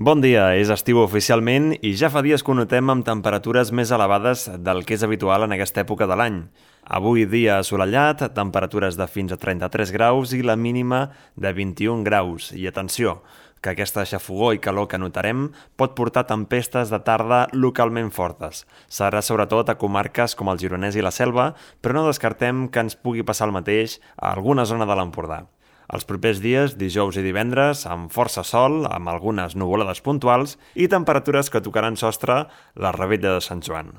Bon dia, és estiu oficialment i ja fa dies que ho notem amb temperatures més elevades del que és habitual en aquesta època de l'any. Avui dia assolellat, temperatures de fins a 33 graus i la mínima de 21 graus. I atenció, que aquesta xafogor i calor que notarem pot portar tempestes de tarda localment fortes. Serà sobretot a comarques com el Gironès i la Selva, però no descartem que ens pugui passar el mateix a alguna zona de l'Empordà. Els propers dies, dijous i divendres, amb força sol, amb algunes nuvolades puntuals i temperatures que tocaran sostre la revetlla de Sant Joan.